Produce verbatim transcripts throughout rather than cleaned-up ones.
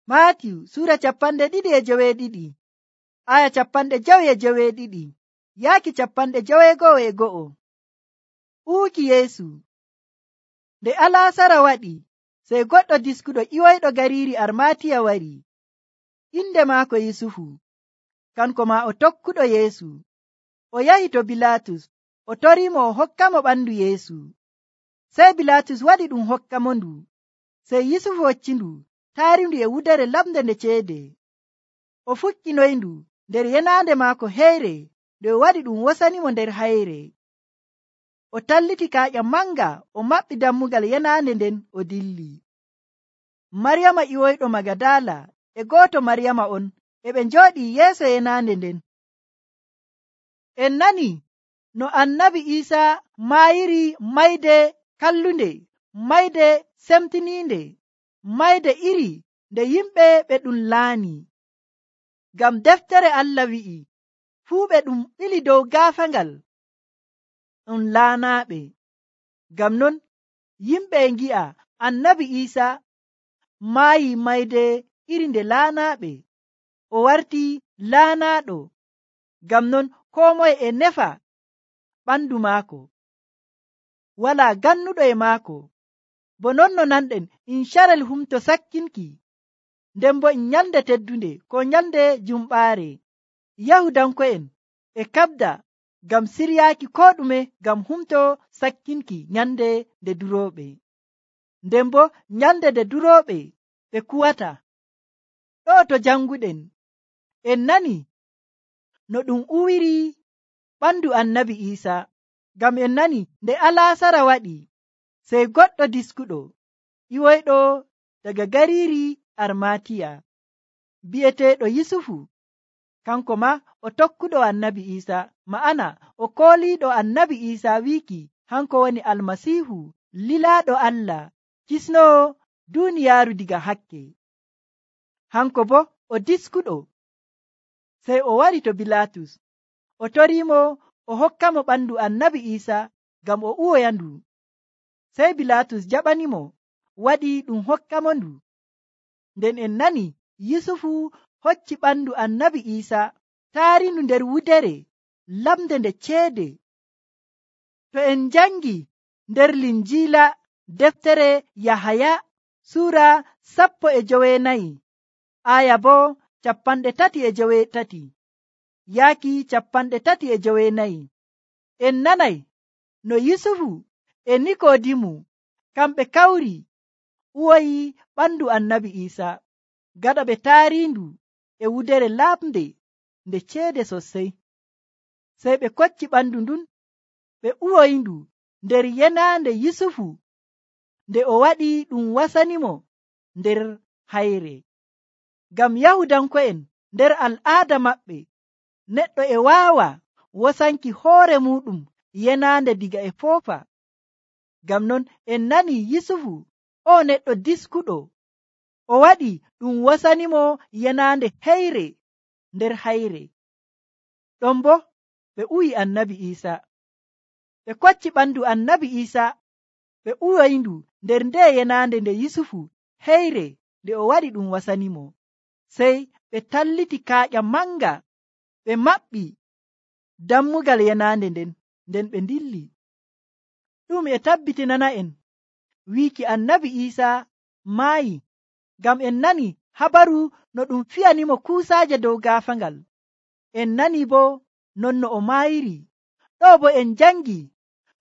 Maatiyu sura capanɗe ɗiɗi e joweeɗiɗi aya capanɗe jowi e joweeɗiɗi yaaki capanɗe joweego'o e go'o. Uwuki Yeesu. Nde alaasara waɗi sey goɗɗo diskuɗo ƴiwoyɗo gariiri Armatiya wari. Inde maako Yusufu. Kanko maa o tokkuɗo Yeesu. O yahi to Bilaatus o toriimo o hokkamo ɓandu Yeesu. Sey Bilaatus waɗi ɗum hokkamo ndu. Sey Yusufu hoccindu taarindu e wudere lamde nde ceede. O fukkinoyndu nder yenaande maako heyre nde o waɗi ɗum wosanimo nder hayre. O talliti kaaƴa manga o maɓɓi dammugal yenaande nden o dilli. Maryama ƴiwoyɗo Magadala e gooto Maryama on e ɓe njooɗii yeeso yenaande nden. En nani no annabi Iisaa maayiri mayde kallunde, mayde semtiniinde, mayde iri nde yimɓe ɓe ɗum laani. Ngam deftere Allah wi'i fuu ɓe ɗum ɓili dow gaafangal ɗum laanaaɓe. Ngam non yimɓe e ngi'a annabi Iisaa maayi mayde iri nde laanaaɓe. O warti laanaaɗo. Ngam non koo moye e nefa ɓandu maako. Walaa gannuɗo e maako. Bo non no nanɗen incarel humto sakkinki. Nden bo en nyalde teddunde ko nyalde jumɓaare. Yahudanko'en e kabda ngam siryaaki ko ɗume ngam humto sakkinki nyande nde durooɓe. Nden bo nyalde nde durooɓe ɓe kuwata. Ɗo to janguɗen en nani no ɗum uwiri ɓandu annabi Iisaa. Ngam en nani nde alaasara waɗi sey goɗɗo diskuɗo ƴiwoyɗo daga gariiri Armatiya bi'eteeɗo Yusufu. Kanko ma o tokkuɗo annabi Iisaa, ma'ana o kooliiɗo annabi Iisaa wiiki hanko woni Almasiihu lilaaɗo Allah kisnowo duuniyaaru diga hakke. Hanko bo o diskuɗo. Sey o wari to Bilaatus o toriimo o hokkamo ɓandu annabi Iisaa ngam o uwoyandu. Sey Bilaatus jaɓanimo waɗi ɗum hokkamo ndu. Nden en nani Yusufu hocci ɓandu annabi Iisaa taarindu nder wudere lamde nde ceede. To en jangi nder Linjiila deftere Yahaya sura sappo e joweenayi aya bo capanɗe tati e joweetati yaaki capanɗe tati e joweenayi, en nanay no Yusufu e Nikodimu kamɓe kawri uwoyi ɓandu annabi Iisaa gaɗa ɓe taarindu e wudere lamde nde ceede sosai. Sey ɓe kocci ɓandu ndun ɓe uwoyindu nder yenaande Yusufu nde o waɗi ɗum wasanimo nder hayre. Ngam Yahudanko'en nder al'aada maɓɓe neɗɗo e waawa wasanki hoore muɗum yenaande diga e foofa. Ngam non en nani Yusufu o neɗɗo diskuɗo o waɗi ɗum wasanimo yenaande heyre nder hayre. Ɗon bo ɓe uwi annabi Iisaa. Ɓe kocci ɓandu annabi Iisaa ɓe uwoyindu nder nde yenaande nde Yusufu heyre nde o waɗi ɗum wasanimo. Sey ɓe talliti kaaƴa manga ɓe maɓɓi dammugal yenaande nden nden ɓe dilli. Ɗum e tabbitinana en wiiki annabi Iisaa maayi ngam en nani habaru no ɗum fiyanimo kuusaaje dow gaafangal. En nani bo non no o maayiri. Ɗo bo en jangi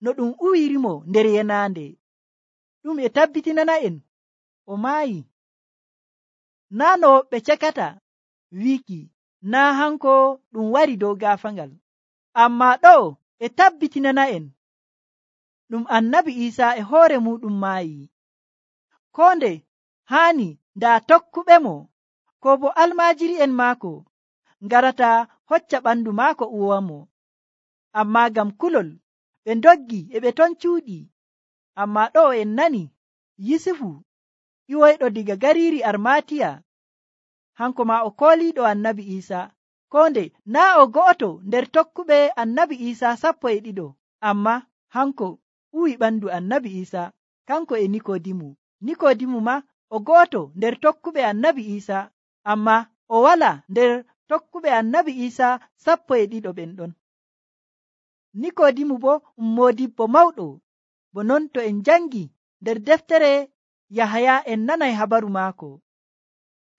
no ɗum uwirimo nder yenaande. Ɗum e tabbitinana en o maayi. Naa no woɓɓe cekata wiiki naa hanko ɗum wari dow gaafangal. Amma ɗo e tabbitinana en ɗum annabi Iisaa e hoore muɗum maayi. Ko nde haani ndaa tokkuɓe mo ko bo almaajiri'en maako ngarata hocca ɓandu maako uwamo. Amma ngam kulol ɓe ndoggi e ɓe ton cuuɗi. Amma ɗo en nani Yusufu ƴiwoyɗo diga gariiri Armatiya hanko ma o kooliiɗo annabi Iisaa. Ko nde naa o go'oto nder tokkuɓe annabi Iisaa sappo e ɗiɗo. Amma hanko uwi ɓandu annabi Iisaa kanko e Nikodimu. Nikodimu ma o gooto nder tokkuɓe annabi Iisa, amma o wala nder tokkuɓe annabi Iisa sappo e ɗiɗo ɓen ɗon. Nikodimu bo um moodibbo mawɗo, bo non to en jangi nder deftere Yahaya en nanay habaru maako.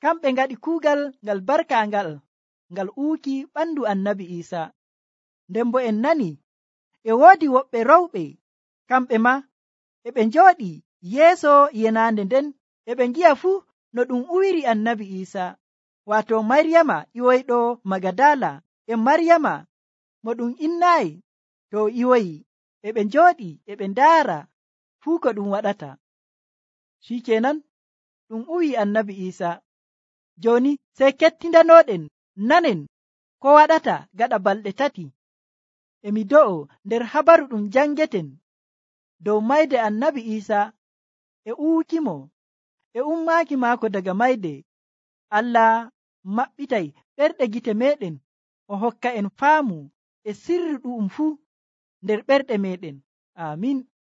Kamɓe ngaɗi kuugal ngal barkaangal ngal uuki ɓandu annabi Iisa. Nden bo en nani e woodi woɓɓe rowɓe, kamɓe ma e ɓe njooɗi yeeso yenaande nden e ɓe ngi'a fuu no ɗum uwiri annabi Iisa, waato Maryama iwoyɗo Magadala e Maryama mo ɗum innaayi to o iwoyi, e ɓe njooɗi e ɓe ndaara fuu ko ɗum waɗata. Shikenan ɗum uwi annabi Iisa. Joni sey kettindanoɗen nanen ko waɗata gaɗa balɗe tati. Emi do'o nder habaru ɗum jangeten dow mayde annabi Iisa e uukimo e ummaaki maako daga mayde. Allah maɓɓitay ɓerɗe gite meɗen, o hokka en faamu e sirru ɗu'um fuu nder ɓerɗe meɗen. Amin.